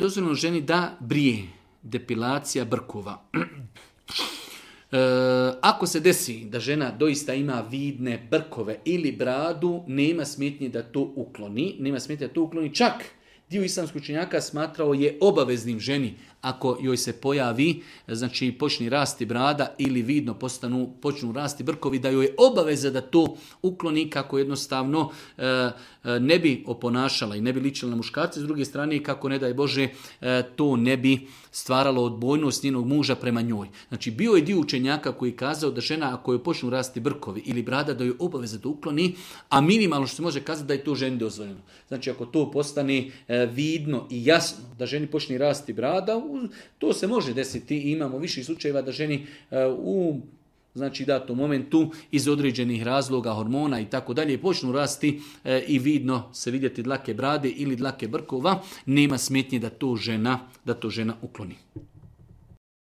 dozvoljeno ženi da brije, depilacija brkova. Ako se desi da žena doista ima vidne brkove ili bradu, nema smetnje da to ukloni. Čak dio islamskih učenjaka smatrao je obaveznim ženi, ako joj se pojavi, znači počne rasti brada ili vidno počnu rasti brkovi, da joj je obaveza da to ukloni, kako jednostavno ne bi oponašala i ne bi ličila na muškarce. S druge strane, kako ne daj Bože, to ne bi stvaralo odbojnost njenog muža prema njoj. Znači, bio je dio učenjaka koji je kazao da žena, ako joj počnu rasti brkovi ili brada, da joj je obaveza da ukloni, a minimalno što se može kazati da je to ženi dozvoljeno. Znači, ako to postane vidno i jasno da ženi počne rasti brada, to se može desiti i imamo više slučajeva da ženi u datom momentu iz određenih razloga, hormona i tako dalje počnu rasti i vidno se vidjeti dlake brade ili dlake brkova, nema smetnje da to žena ukloni.